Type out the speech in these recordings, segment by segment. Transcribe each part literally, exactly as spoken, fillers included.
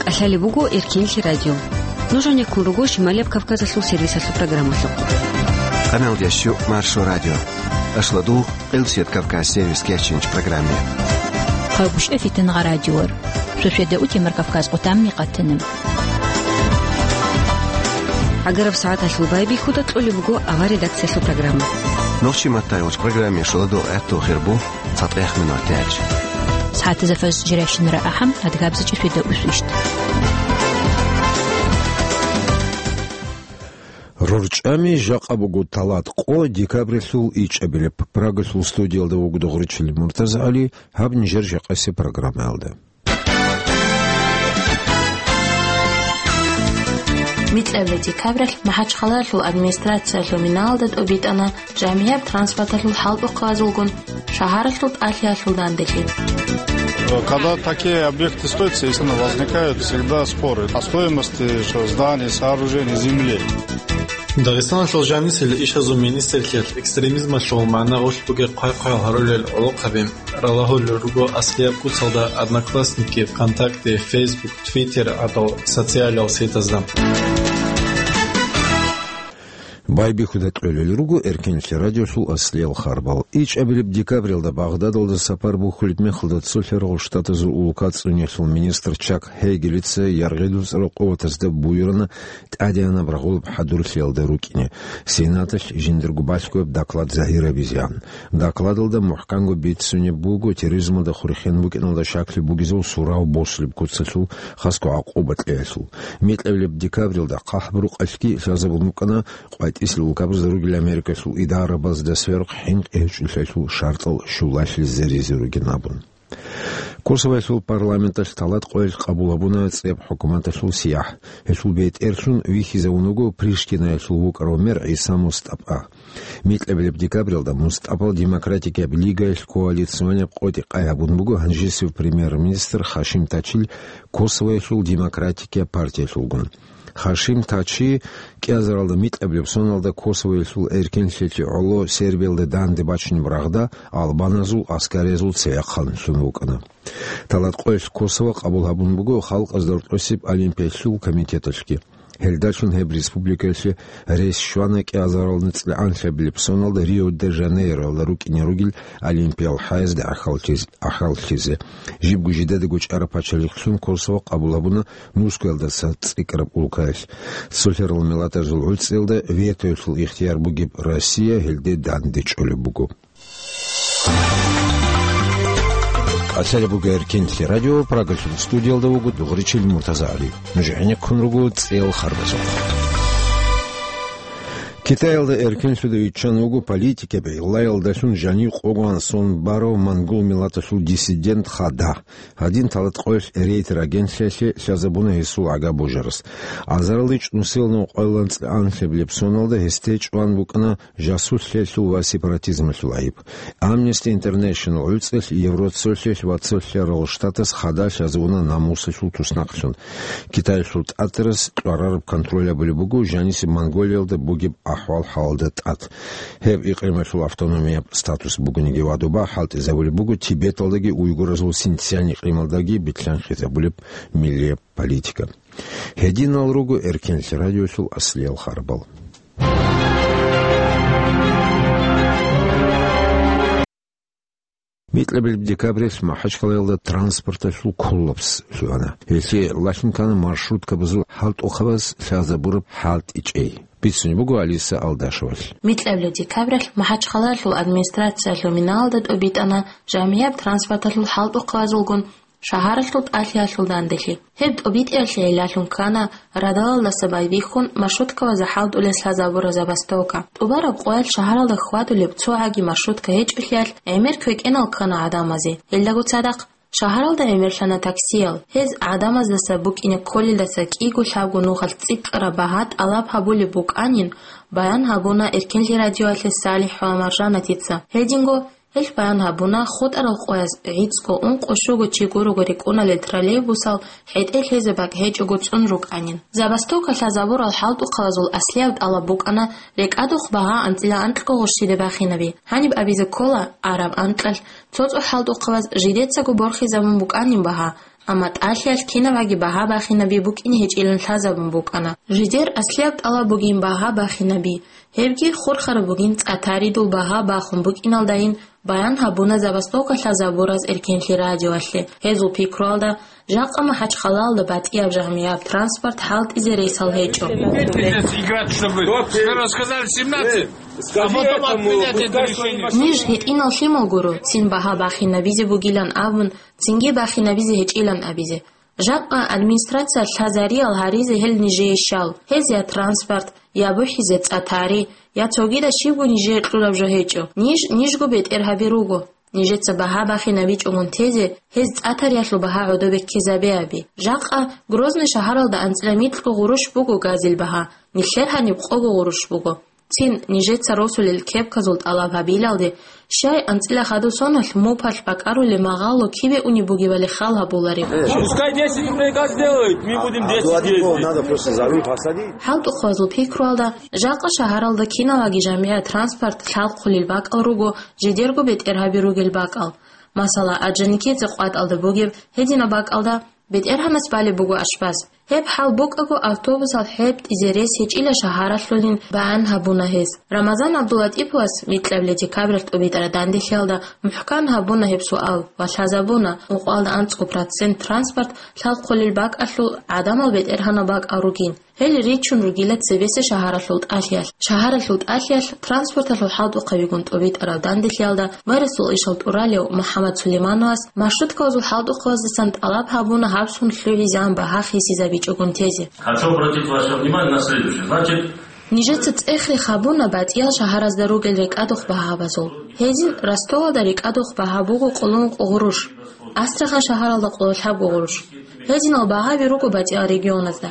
Алъали буго Эркенлъи радио. Нуж гьанеккун руго Шималияб Кавказалъул сервисалъул программалъухъ. Къаналдящу Маршо радио. Ашладу Къилсият Кавказ сервис кечинч программе. Хъагушев Фитингъа радиор. Шошеда утемар Кавказ къутамни къатана. Агараб сагӀаталъул байбихьуда кьолеб буго авар редакциялъул программа. Нохчи маттайгъуч программе шоладу гӀатту хирбу. ЦатӀехъ минутач. СагӀатазда фаз жирайщинара ахӀам, адгабзачӀи шведа усвищт. РорчӀами жакъа буго талат къо декабрилъул ичӀабилеб. Прагалъул студиялда вуго дугъричил МуртазагӀали, гьаб нижер жакъасеб программаялда. Микьабилеб декабралъ МахӀачхъалаялъул администрациялъул миналда тӀобитӀана жамгӀияб транспорталъул хӀалтӀухъабазулгун шагьаралъул тӀалъиялъул данделъи. Когда такие объекты строятся, естественно, возникают всегда споры о стоимости, что, зданий, сооружений, земли. Дагъистаналъул жанисел ишазул министрлъиялъ экстремизмалъул магӀна гъулъ бугеб хъвай-хъваял гьарулел гӀолохъаби ралагьулел руго аслияб куцалда Одноклассники, ВКонтакте, Facebook, Twitter гӀадал социалал сетазда. Байбихьуда кьолел руго Эркенлъи радиолъул аслиял харбал. ИчӀабилеб декабралда Багъдадалда сапар бухьулеб мехалда цолъарал штатазул улка цӀуниялъул министр Чак Гьегелица яргъи-дуцӀарал къуватазда буюрана тӀадегӀанаб рагъулаб хӀадурлъиялда рукӀине, Сенаталъ жиндирго балъгояб доклад загьирабизеан. Докладалда мухӀканго бицунеб буго терроризмалда хурихьен букӀиналда щаклъи бугезул сурав босулеб куцалъул хасго гӀакъуба кьеялъул. Микьабилеб декабралда ХъахӀбурукъалъги лъазабун букӀана къватӀисел улкабазда ругел Америкалъул идарабазда сверухъ хӀинкъи гьечӀолъиялъул шартӀал щулалъизе ризе ругин абун. Косовоялъул парламенталъ талат къоялъ къабул гьабуна цӀеб хӀукуматалъул сияхӀ. Гьелъул бетӀерлъун вихьизавун вуго Приштинаялъул вукӀарав мер ГӀиса МустӀапа. Микьабилеб декабралда МустӀапал Демократикияб лигаялъ коалиционияб къотӀи къай гьабун буго гьанжесев премьер-министр Хашим Тачил Косовоялъул Демократикияб партиялъулгун. Хашим Тачи кӀиазаралда микьабилеб соналда Косовоялъул эркенлъиялъе гӀоло Сербиялда данде бачунеб рагъда албаназул аскариязул цевехъан лъун вукӀана. Талат къоялъ Косово къабул гьабун буго халкъазда рокьосеб олимпиялъул комитеталъги. Гьелдалъун гьеб республикаялъе рес щвана кӀиазарал нуцӀлигӀанлъабилеб соналда Рио-де-Жанейроялда рукӀине ругел олимпиял хӀаязде ахӀаллъиз-, ахӀаллъизе. Жибго жидедаго чӀараб пачалихълъун Косово къабул гьабуна Мускуялдаса цӀикӀкӀараб улкаялъ. Цолъарал миллатазул гӀуцӀиялда ветоялъул ихтияр бугеб Россия гьелде данде чӀолеб буго. Алъали буго Эркенлъи радио, Прагалъул студиялда вуго дугъричил МуртазагӀали. Нуж гӀенеккун руго цӀел харбазухъ. Китаялда эркенлъуда виччан вуго политикаби, гӀиллаялдалъун жанив къогоан сон барав монгол миллаталъул диссидент Хада. Гьадин талат къоялъ Рейтер агентлъиялъе лъазабуна гьесул гӀага божарас. Азаралде чӀунсилан къоялда анцӀила анлъабилеб соналда гьесде чӀван букӀана жасуслъиялъул ва сепаратизмалъул гӀайиб. Amnesty International гӀуцӀелъ Евроцолъилъ ва Цолъарал Штатас Хада лъазабуна намусалъул туснакълъун. Китаялъул тӀатарас кьварараб контроль гьабулеб буго жанисеб Монголиялда бугеб ахӀвал-хӀалалда тӀад. Гьеб икъималъул автономияб статус бугониги ва доба хӀалтӀизабулеб буго Тибеталдаги уйгуразул Синцзянь икъималдаги битлъанхъизабулеб миллияб политика. Гьединал руго Эркенлъи радиолъул аслиял харбал. Микьабилеб декабралъ Махачкалаялда транспорталъул коллапс лъугьана. Гьелъие лъалъун ккана маршруткабазул хӀалтӀухъабаз лъазабураб хӀалтӀичӀей. Бицунеб буго Алиса Алдашевалъ. Микьабилеб декабралъ Махачкалаялъул администрациялъул миналда тӀобитӀана жамгӀияб транспорталъул хӀалтӀухъабазулгун шагьаралъул тӀалъиялъул данделъи. Гьеб тӀобитӀиялъе гӀиллалъун ккана радалалдаса байбихьун маршруткабазда хӀалтӀулес лъазабураб забастовка. ТӀубараб къоялъ шагьаралда хьвадулеб цо гӀаги маршрутка гьечӀолъиялъ гӀемер квекӀенал ккана гӀадамазе. Гьелдаго цадахъ шагьаралда гӀемерлъана таксиял. Гьез гӀадамаздаса букӀине кколелдаса кӀиго-лъабго нухалъ цӀикӀкӀараб багьа тӀалаб гьабулеб букӀанин баян гьабуна Эркенлъи радиоялъе СалихӀ ва Маржанатица. Гьединго Гьелъ баян гьабуна, хутӀарал къояз гӀицӀго, ункъо-щуго чи гурого рекӀуналел троллейбусал хӀетӀе лъезе бакӀ гьечӀого цӀун рукӀанин. Забастовка лъазабурал хӀалтӀухъабазул аслияб тӀалаб букӀана рекӀадухъ багьа анцӀила анкьго гъурщиде бахинаби. Гьаниб абизе ккола, араб анкьалъ цо-цо хӀалтӀухъабаз жидецаго борхизабун букӀанин багьа, Амма тӀалъиялъ кинабгӀаги багьа бахинаби букӀине гьечӀилан лъазабун букӀана. Жидер аслияб тӀалаб бугин багьа бахинаби, гьебги хурхараб бугин цӀа-таридул багьа бахун букӀиналдайин баян гьабуна забастовка лъазабураз Эркенлъи радиоялъе. Гьезул пикруялда, жакъа МахӀачхъалаялда батӀияб жамгӀияб транспорт хӀалтӀизе рейсал гьечӀо. Играть, чтобы вы рассказали семнадцать, а потом отменять это решение. Ниж гьитӀинал лъимал гуро, цин багьа бахинабизе бугилан абун, цинги бахинабизе гьечӀилан абизе. Жакъа администрация лъазариял гьаризе гьел нижее щал, гьез я транспорт, я бухӀизе цӀа-тари, я цогидаз щибго нижее кьураб жо гьечӀо. Ниж, нижго бетӀергьаби руго. Нижеца багьа бахинабичӀогун тезе, гьез цӀа-тариялъул багьа гӀодобе ккезабеаби. Жакъа Грозный шагьаралда анцӀила микьго гъурущ буго газил багьа, нилъер гьаниб къого гъурущ буго. Цин нижеца росулел кепказул тӀалаб гьабилалде, щай анцӀила хадусоналъ мупалъ бакӀарулеб магъало кибе унеб бугебали хал гьабулари. Пускай десять рублей газ делают, мы будем десять ездить. Надо просто за руль посадить. ХӀалтӀухъабазул пикруялда, жакъа шагьаралда киналаги жамгӀият транспорт лъалхъулел бакӀал руго, жидерго бетӀергьаби ругел бакӀал. Масала, Орджоникидзе къватӀалда бугеб гьединаб бакӀалда БетӀергьанас балеб буго ашбаз. Гьеб хӀал букӀаго автобусал хӀетӀизе рес гьечӀила шагьаралъулин баян гьабуна гьез. Рамазан ГӀабдуллатӀиповас микьабилеб декабралъ тӀубитӀараб данделъиялда мухӀкан гьабуна гьеб суал ва лъазабуна, ункъоялда анцӀго процент транспорт лъалхъулел бакӀалъул гӀадамал бетӀергьанал бакӀал ругин. Гьел ричун ругила цебесеб шагьаралъул тӀалъиялъ. Шагьаралъул тӀалъиялъ транспорталъул хӀалтӀухъабигун тӀубитӀараб данделъиялда мэриясул ишал тӀуралев МухӀаммад Сулеймановас маршруткабазул хӀалтӀухъабаздасан тӀалаб гьабуна гьабсун лъугӀизегӀан багьа хисизабичӀогун тезе. Хочу обратить ваше внимание на следующее. Значит, нижеца цӀех-рех гьабуна батӀиял шагьаразда ругел рекӀадухъ багьабазул. Гьезин Ростовалда рекӀадухъ багьа буго къоло ункъо гъурущ, Астрахань шагьаралда къоло лъабго гъурущ. Гьезинал багьаби руго батӀиял регионазда.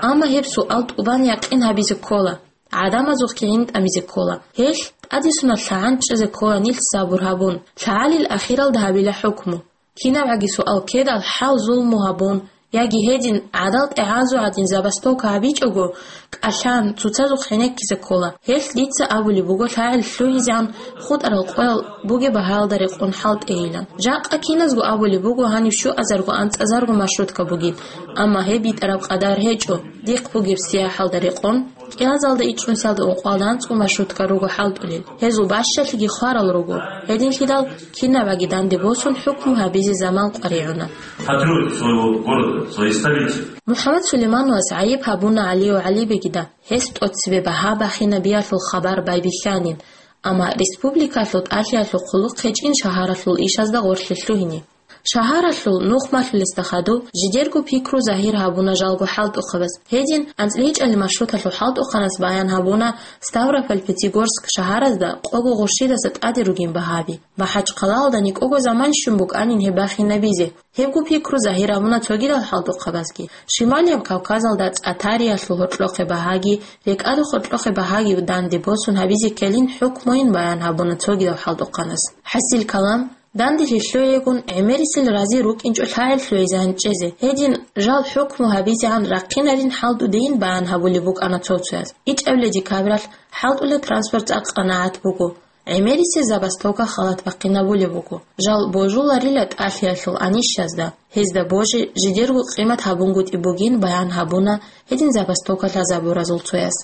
Амма гьеб суал тӀубан якъин гьабизе ккола, гӀадамазухъги гӀин тӀамизе ккола. Гьелъ тӀадесунал лъагӀан чӀезе ккола нилъ сабур гьабун, лъагӀалил ахиралда гьабила хӀукму. КинабгӀаги суал ккедал хӀал-зулму гьабун, яги гьедин гӀадал тӀегӀазу гӀадин забастовка гьабичӀого, кӀалъан, цоцазухъ гӀенеккизе ккола. Гьелъ дица абулеб буго лъагӀел лъугӀизегӀан хутӀарал къоял бугеб багьаялда рекъон хӀалтӀейилан. Жакъа киназго абулеб буго гьаниб щуазарго анцӀазарго маршрутка бугин, амма гьеб битӀараб къадар гьечӀо. Дихъ бугеб сияхӀалда рекъон, кӀиазалда ичӀнусиялда ункъоялда анцӀго маршрутка руго хӀалтӀулел. Гьезул бащалъиги хварал руго. Гьединлъидал кинабгӀаги данде босун хӀукму гьабизе заман къваригӀуна. Патриот своего города, своей столицы. МухӀаммад Сулеймановас гӀайиб гьабуна ГӀалиев ГӀалибегида, гьес тӀоцебе багьа бахинабиялъул хабар байбихьанин, амма республикалъул тӀалъиялъул хъулухъ гьечӀин шагьаралъул ишазда гъорлъе лъугьине. Шагьаралъул нух малъулесда хадуб жидерго пикру загьир гьабуна жалго хӀалтӀухъабаз. Гьедин анцӀила гьечӀеб маршруталъул хӀалтӀухъанас баян гьабуна Ставрополь-Пятигорск шагьаразда къого гъурщидаса тӀаде ругин багьаби. МахӀачхъалаялда никӀого заман щун букӀанин гьеб бахинабизе. Гьебго пикру загьир гьабуна цогидал хӀалтӀухъабазги. Шималияб Кавказалда цӀа-тариялъул гьоркьохъеб багьаги, рекӀадухъ гьоркьохъеб багьаги данде босун гьабизе ккелин хӀукмуйин баян гьабуна цогидал хӀалтӀухъанас. ХӀасил калам, данделъи лъугӀейгун, гӀемерисел рази рукӀинчӀо лъагӀел лъугӀизегӀан чӀезе. Гьедин жал хӀукму гьабизегӀан рахъинарин хӀалтӀудейин баян гьабулеб букӀана цо-цояз. ИчӀабилеб декабралъ хӀалтӀулеб транспорт цӀакъ къанагӀат буго. ГӀемерисел забастовка халат бахъинабулеб буго. Жал божуларила тӀалъиялъул анищазда, гьезда божи жидерго къимат гьабунгутӀи бугин баян гьабуна гьедин забастовка лъазабуразул цояс.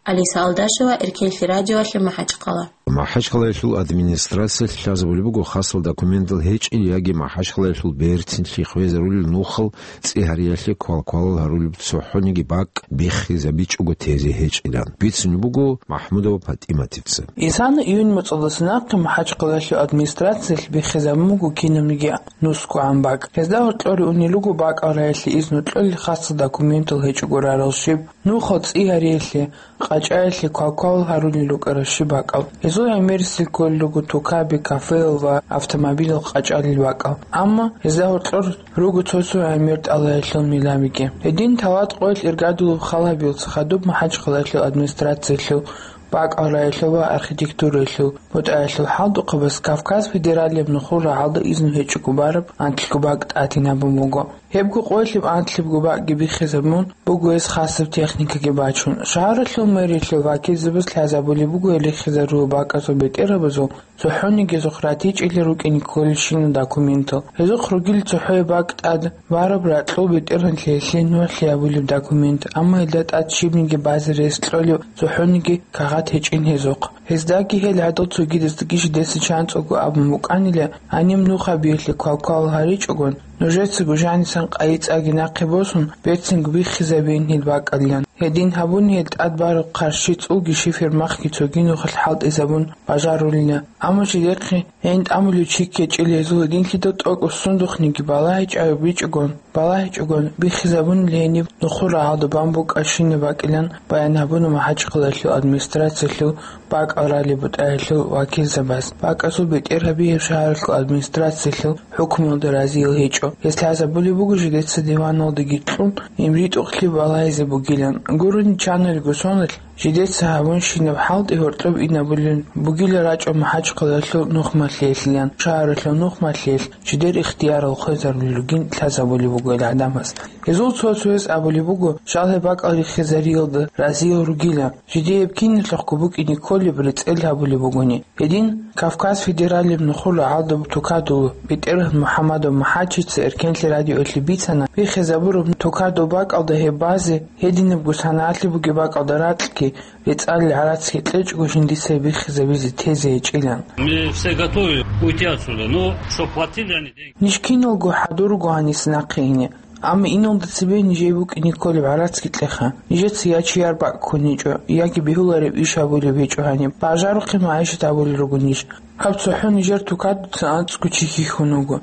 Алиса Алдашева, Эркенлъи радиоялъе, МахӀачхъала. МахӀачхъалаялъул администрациялъ лъазабулеб буго хасал документал гьечӀел яги МахӀачхъалаялъул бертинлъи хвезарулел нухал цӀи гьариялъе квалквалал гьарулеб цохӀониги бакӀ биххизабичӀого тезе гьечӀилан, бицунеб буго МахӀмудова ПатӀиматица. Исана июнь моцӀалдаса нахъе МахӀачхъалаялъул администрациялъ биххизабун буго кинабниги нусгогӀан бакӀ. Гьезда гьоркьоре унел руго бакӀал раялъе изну кьолел хасал документал гьечӀого рарал щиб, нухал цӀи гьариялъе, къачӀаялъе квалквал гьарулел рукӀарал щиб бакӀал. Гьезул гӀемерисел кколел руго тукаби, кафеял ва автомобилал къачӀалел бакӀал. Амма гьезда гьоркьор руго цо-цо гӀемер тӀалаялъул миламиги. Гьедин талат къоялъ иргадулеб хал гьабиялдаса хадуб МахӀачхъалаялъул администрациялъул, бакӀал раялъул ва архитектураялъул, бутӀаялъул хӀалтӀухъабаз Кавказ федералияб нухул рагӀалда изну гьечӀого бараб анкьго бакӀ тӀадин гьабун буго. Гьебго къоялъ анлъабго бакӀги биххизабун буго гьес хасаб техникаги бачун. Шагьаралъул мэриялъул вакилзабаз лъазабулеб буго гьел риххизарулел бакӀазул бетӀергьабазул цохӀониги гьезухъ ратичӀила рукӀине кколелщинал документал. Гьезухъ ругила цохӀояб бакӀ тӀад бараб ракьул бетӀергьанлъиялъе нугӀлъи абулеб документ, амма гьелда тӀад щибниги базе рес кьолеб цохӀониги кагъат гьечӀин гьезухъ. Гьездаги гьел гӀадал цогидаздаги жидеца чанцӀого абун букӀанила, гьаниб нух гьабиялъе квалквал гьаричӀогон, нужецаго жанисан къайи-цӀаги нахъе босун, берцинго биххизабейин гьел бакӀалилан. Гьедин гьабуни гьел тӀад бараб хъарщи цӀулги шифер махги цоги нухалъ хӀалтӀизабун бажарулина. Амма жидехъе гьейин тӀамулев чи ккечӀел гьезул гьединлъидал тӀокӀаб сундухъниги балагьичӀеб бичӀогон, балагьичӀогон биххизабунила гьениб нухул рагӀалда бан букӀарщинаб бакӀилан баян гьабуна МахӀачхъалалъул администрациялъул бакӀал ралеб бутӀаялъул вакилзабаз. БакӀазул бетӀергьаби гьеб шагьаралъул администрациялъул хӀукмуялда разиял гьечӀо. Гьес лъазабулеб буго жидеца диваналдаги кьун, им ритӀухълъи балагьизе бугилан. Гурони чанаригу соналъ, жидеца гьабунщинаб хӀалтӀи гьоркьоб инабулеб бугила рачӀун МахӀачхъалалъул нухмалъиялъилан, шагьаралъул нухмалъиялъ жидер ихтиярал хвезарулел ругин лъазабулеб буго гьел гӀадамаз. Гьезул цо-цояс абулеб буго, щал гьеб бакӀал риххизариялда разиял ругила, жидее гьеб киналъухъго букӀине кколеб рецӀел гьабулеб бугони. Гьедин, Кавказ федералияб нухул рагӀалда тукадул бетӀергьан МухӀаммадов МахӀачица Эркенлъи радиоялъе бицана, биххизабураб тукадул бакӀалда гьеб базе, гьединабго санагӀалъи бугеб бакӀалда ракьги, рецӀалил гӀарацги кьечӀого жиндица биххизабизе тезе гьечӀилан. Мы все готовы уйти отсюда, но чтоб платили они деньги. Ниж киналго хӀадурго гьаниса нахъе ине. Амма иналда цебе нижее букӀине кколеб гӀарацги кьеха. Нижеца я чияр бакӀ ккун гьечӀо, яги бегьулареб иш гьабулеб гьечӀо гьаниб. Бажарухъе магӀишат гьабулел руго ниж. Гьаб цохӀо нижер тукадуца анцӀго чи хьихьун вуго.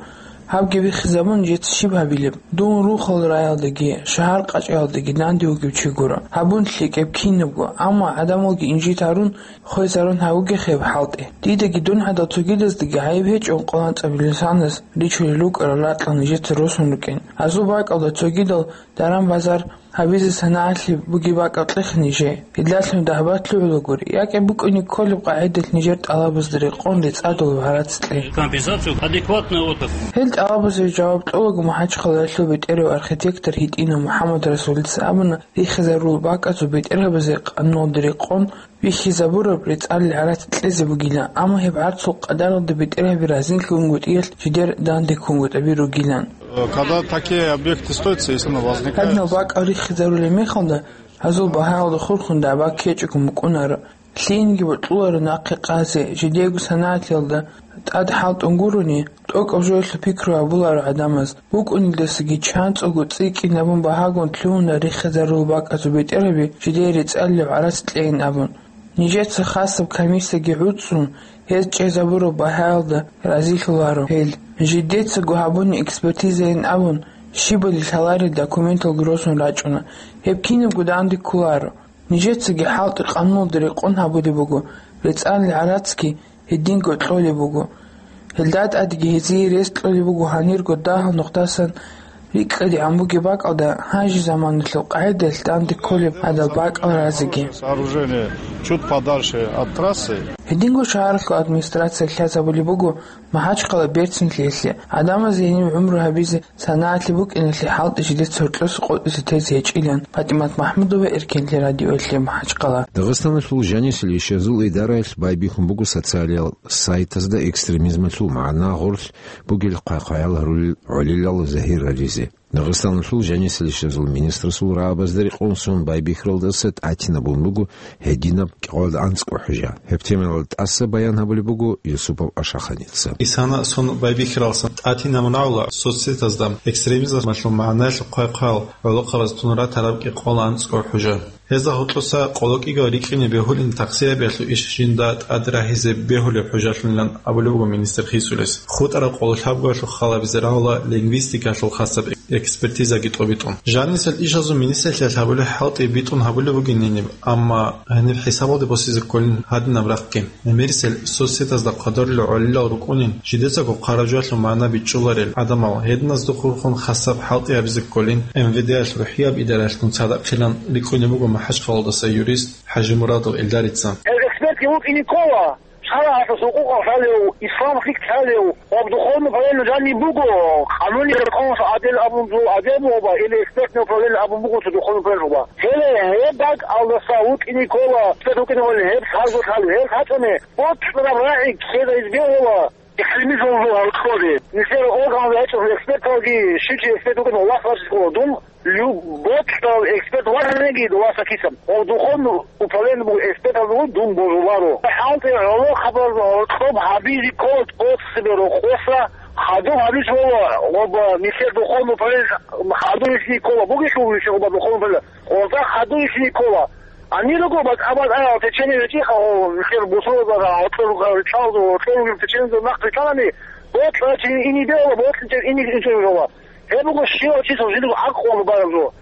Гьабги биххизабун, нижеца щиб гьабилеб? Дун рухал раялдаги, шагьар къачӀаялдаги данде вугев чи гуро. Гьабун лъикӀеб кинабго, амма гӀадамалги инжит гьарун, хвезарун гьавугехъе гьеб хӀалтӀи. Дидаги дун гӀадал цогидаздаги гӀайиб гьечӀо къоло анцӀабилеб санас ричулел рукӀарал ракьал нижеца росун рукӀин. Гьазул бакӀалда цогидал даран-базар гьабизе санагӀалъи бугеб бакӀал кьеха нижее. Гьелдалъун дагьбат лъугӀулагури, якӀи букӀине кколеб къагӀидалъ нижер тӀалабазда рекъон рецӀадулеб гӀарац кье. Компенсацию адекватную отрасль. Гьел тӀалабазе жаваб кьолаго МахӀачхъалаялъул бетӀерав архитектор ГьитӀинов МухӀаммадрасулица абуна, риххизарулел бакӀазул бетӀергьабазе къануналда рекъон биххизабураб рецӀалил гӀарац кьезе бугила, амма гьеб гӀарцул къадаралда бетӀергьаби разилъунгутӀиялъ жидер данде ккунгутӀаби ругилан. Когда такие объекты строятся, если оно возникает. Гьадинал бакӀал риххизарулеб мехалда, гьазул багьаялда хурхун дагӀба ккечӀого мукӀунаро. Лъиениги бокьуларо нахъе къазе, жидеего санагӀаталда тӀад хӀалтӀун гурони, тӀокӀаб жоялъул пикру гьабуларо гӀадамаз. БукӀунелдасаги чанцӀого цӀикӀкӀинабун багьагун лъугьуна риххизарулел бакӀазул бетӀергьаби жидее рецӀалилеб гӀарац кьейин абун. Нижеца хасаб комиссияги гӀуцӀцӀун, гьез чӀезабураб багьаялда разилъуларо гьел. Жидецаго гьабуни экспертизайин абун, щибали лъаларел документалги росун рачӀуна. Гьеб кинабго данде кколаро. Нижецаги хӀалтӀи къануналда рекъон гьабулеб буго, рецӀалил гӀарацги гьединго кьолеб буго. Гьелда тӀадеги гьезие рес кьолеб буго гьанирго дагьал нухдасан рикӀкӀадегӀан бугеб бакӀалда, гьанже заманалъул къагӀидаялъ данде кколеб гьадал бакӀал разиги. Сооружение чуть подальше от трассы. Гьединго шагьаралъул администрация лъазабулеб буго МахӀачхъала берцинлъиялъе, гӀадамазе гьениб гӀумру гьабизе санагӀалъи букӀиналъе хӀалтӀи жидеца гьоркьоса къотӀизе тезе гьечӀилан. ПатӀимат МахӀмудова, Эркенлъи радиоялъе, МахӀачхъала. Дагъистаналъул жанисел ишазул идараялъ байбихьун буго социалиял сайтазда экстремизмалъул магӀна гъорлъ бугел хъвай-хъваял гьарулел гӀолилал загьир гьаризе. Дагъистаналъул жанисел ишазул министрасул рагӀабазда рекъон сон байбихьаралдаса тӀатинабун буго гьединаб кӀикъоялда анцӀго хӀужа. Гьеб темаялда тӀаса баян гьабулеб буго Юсупов Ашаханица. Исана сон байбихьаралдасан тӀатинабун гьавула соцсетазда экстремизмалъул магӀнаялъул хъвай-хъваял гӀолохъабаз тун ратараб кӀикъоялда анцӀго хӀужа. Гьезда гьоркьоса къоло кӀиго рикӀкӀине бегьулин тахсиябиялъул иш жинда тӀад рагьизе бегьулеб хӀужалъунилан абулеб буго министр Хисулис. ХутӀараб къоло лъабгоялъул халабизе рагӀула лингвистикалъул хасаб экспертизаги тӀобитӀун. Жанисел ишазул министрлъиялъ гьабулеб хӀалтӀи битӀун гьабулеб бугин гьениб, амма гьениб хӀисабалде босизе кколин гьадинаб рахъги. Гьемерисел соцсетазда хъвадорилел гӀолилал рукӀунин, жидецаго хъараб жоялъул магӀна бичӀчӀуларел гӀадамал, гьединазда хурхун хасаб хӀалтӀи гьабизе кколин, МВД-ялъ рухӀияб идараялъ цадахъилан рикӀкӀунеб буго МахӀачхъалаялдаса юрист ХӀажимурадов Эльдарица. Экспертги вукӀине ккола. Аллагьасул хӀукъукъ лъалев, ислам лъикӀ лъалев, ва духовный управление жаниб буго, къануниял рахъун гӀадел абун жо гӀадел бугоба, или экспертный управление абун буго цо духовный управление бугоба. Гьеле гьеб бакӀалдаса вукӀине ккола, эксперт вукӀине ккола, гьеб лъазулъ лъалев, гьеб лъачӀони, боцӀцӀараб рагӀи ккезе гьезие гьола. Экстремизм жо гьоркьоре, нилъер орган рачӀун эксперталги, щичи эксперт вукӀин вахъ рачӀине ккола дун, любой эксперт варгьаниги васа кисан. Ва духовный управление буго эксперталда дун божуларо. ХӀалтӀи гӀоло хабар гьоркьоб гьабизе ккола тӀоцебе рокъоса, хадуб гьабиз гьола, ва нилъер духовный управление хадуб гьесие ккола, бугелъул нилъер ва духовный управление. Къорда хадуй ишни ккола. Гьанир руго бакӀ-, абад аял течение речӀиха, о, хер бусурбабазда, гьоркьор руго, ричалда, гьоркьор руго течениезе нахъ ричалани, боцӀа чи ине бегьула, боцӀичӀеб ине инчӀеб бегьула. Гьеб буго щивав чиясул жиндирго гӀакълу бараб жо.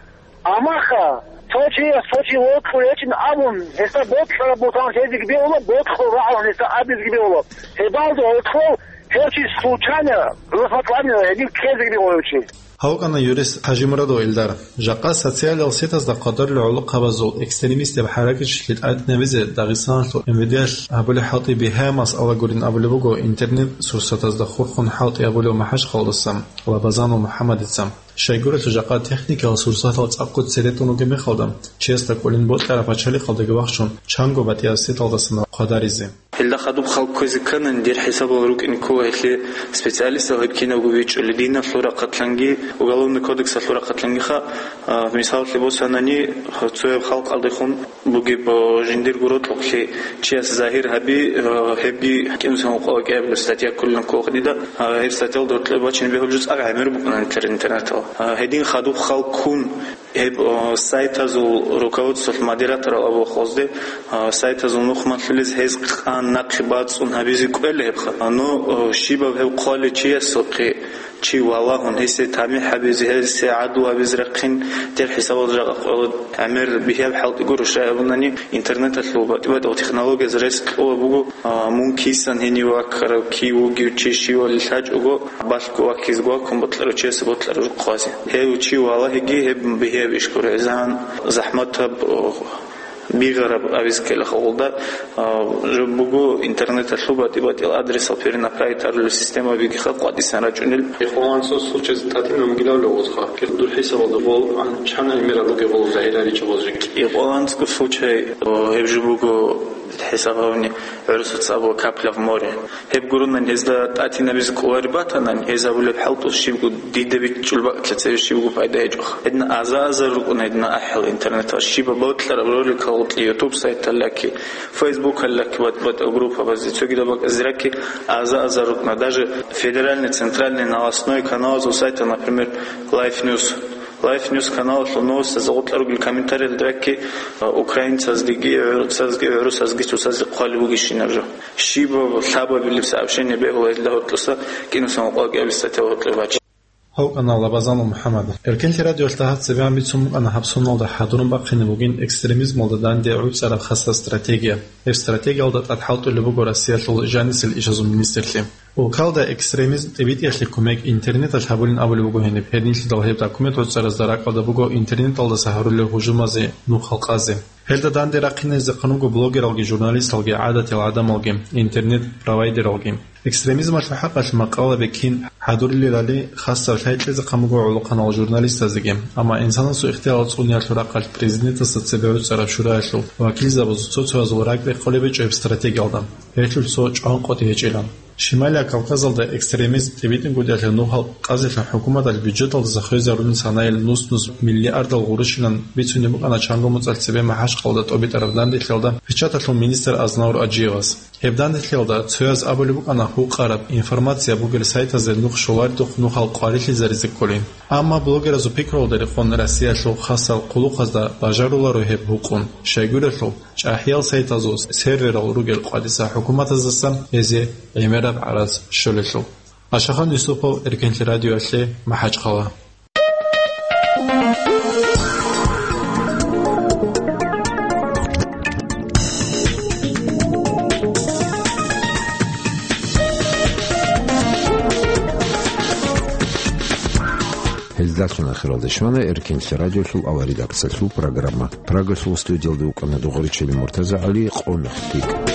Амма ха, цо чияс цо чи вокьулев гьечӀин абун, гьесда боцӀараб бутан лъезеги бегьула, боцӀул рагӀун гьесда абизеги бегьула. Гьебалда гьоркьов гьев чи случайно, предусмотрительно гьедин ккезеги бегьула гьев чи. Гьав вукӀана юрист ХӀажимурадов Илдар. Жакъа социалиал сетазда къварилъи гӀолохъабазул экстремистаб хӀаракатчилъи тӀатӀинабизе Дагъистаналъул МВД-алъ гьабулеб хӀалтӀи бигьа масъала гурин абулеб буго интернет-сурсатазда хурхун хӀалтӀи гьабулев МахӀачхъалдаса Лабазанов МухӀаммадица. Щайгурелъул жакъа техникиял сурсатал цӀакъго цере тӀун ругеб мехалда, чиясда кӀолин бокьараб пачалихъалдаги вахчун, чанго батӀияб сеталдасан хъвадаризе. Гьелда хадуб хал кквезе кканани, дир хӀисабал рукӀине ккола гьелъие специалистал гьеб кинабго бичӀчӀулел, диналъул рахъалъанги, Уголовный кодексалъул рахъалъангиха, а, мисаллъи босанани, цояб халкъалдехун бугеб, а, жиндирго рокьукълъи чияс загьир гьаби, а, гьебги кӀинусин гьукъала кӀиабилеб статья кколин ккола дида, а, гьеб статьялда гьоркьоб бачине бегьулеб жо цӀакъ гӀемер букӀуна интернеталъ. А, гьедин хадуб хал ккун, Гьеб, о, сайтазул руководстволъ модераторал абулеб халкъазде, а, сайтазул нух малъулез гьез къан нахъе бацӀцӀун гьабизе кӀвела гьебха. А, ну, о, щибаб гьеб хъвалев чиясухъе чи валагьун, гьесие тамихӀ гьабизе, гьесие гӀадлу гьабизе рахъин, дир хӀисабалда жакъа къвела гӀемер бигьаб хӀалтӀи гуро, щай абунани, интернеталъул батӀи-батӀиял технологияз рес кьола буго, а, мун кисан гьенив ваккарав, кив вугев чи щивали лъачӀого, балъго ваккизе ваккун бокьарав чиясе бокьараб жо хъвазе. Гьев чи валагьиги гьеб бигьияб иш гуро, гӀезегӀан захӀматаб, о, бигъараб абизе ккела халкъалда, а, жо буго интернеталъул батӀи-батӀиял адресал перенаправить гьарулел системабигиха къватӀисан рачӀунел. Ихъван анцӀго случайз тӀатӀинаб бугилавли гъозха. Дур хӀисабалда гъол, ан-, чан гӀемерал ругел гъол загьираричӀеб гъол жеги. Ихъван анцӀго случай, о, гьеб жо буго хӀисаб гьавни гӀурусаца абула капля в море. Гьеб гуронан гьезда тӀатӀинабизе кӀолареб батанан, гьез абулеб хӀалтӀу щибго дида бичӀчӀул бакӀалъа цебе щибго пайда гьечӀоха. Гьедин аза-азар рукӀуна гьедин ахӀил интернеталъ щибаб бокьараб роликал гъоркье YouTube сайталлаки, Facebook-аллаки, ват-, ватӀа группабазде, цогидаб бакӀазде раки аза-азар рукӀуна. Даже федеральный, центральный, новостной каналазул сайта, например, Life News. Life News каналалъул новостазда гъоркьа ругел комментариялда раки, а, украинцазгиги, гӀурцазги, гӀурусазги цоцазде хъвалеб бугищинаб жо. Щибаб лъабабилеб сообщение бегьула гьелда гьоркьоса кӀинусин гьукъа кӀиабилеб статья гьоркьоб бачи. Гьав вукӀана Лабазанов МухӀаммад. Эркенлъи радиоялъ дагьаб цебегӀан бицун букӀана гьаб соналда хӀадурун бахъине бугин экстремизмалда данде гӀуцӀараб хасаб стратегия. Гьеб стратегиялда тӀад хӀалтӀулеб буго Россиялъул жанисел ишазул министрлъи. Улкалда экстремизм тӀибитӀиялъе кумек интернеталъ гьабулин абулеб буго гьениб. Гьединлъидал гьеб документ гӀуцӀаразда ракӀалда буго интернеталдаса гьарулел гьужумазе нух халкъазе. Гьелда данде рахъинайзе хъануго блогералги, журналисталги, гӀадатиял гӀадамалги, интернет-провайдералги. Экстремизмалъул хӀакъалъ макъала бекин хӀадурилелали хасаб лъай кьезе хъамуго гӀолохъанал журналистазеги. Амма инсанасул ихтиялал цӀуниялъул рахъалъ президентасда цебе гӀуцӀараб шураялъул вакилзабазул цо-цоязул ракӀ рехъолеб гьечӀо гьеб стратегиялда. Гьелъул цо чӀван къотӀи гьечӀилан. Шималияб Кавказалда экстремизм тӀибитӀунгутӀиялъе нух халкъазелъун хӀукуматалъ бюджеталдаса хвезарунин санаил нус-нус миллиардал гъурущилан бицунеб букӀана чанго моцӀалъ цебе МахӀачхъалда тӀобитӀараб данделъиялда печаталъул министр Азнавур Аджиевас. Гьеб данделъиялда цояз абулеб букӀана гьукъараб информация бугел сайтазде нух щоларидухъ нухал къварилъизаризе кколин. Амма блогеразул пикруялда рекъон Россиялъул хасал хъулухъазда бажаруларо гьеб гьукъун, щайгурелъул, ЧӀахӀиял сайтазул серверал ругел къватӀиса хӀукуматаздасан гьезие гӀемераб гӀарац щолелъул. Ашахан Юсупов, Эркенлъи радиоялъе, МахӀачхъала. Гьелдалъун ахиралде щвана Эркенлъи радиолъул аваридакцалъул программа. Прагасул студиялда вукӀана Дугъричили МуртазагӀали, къо-нух лъикӀ.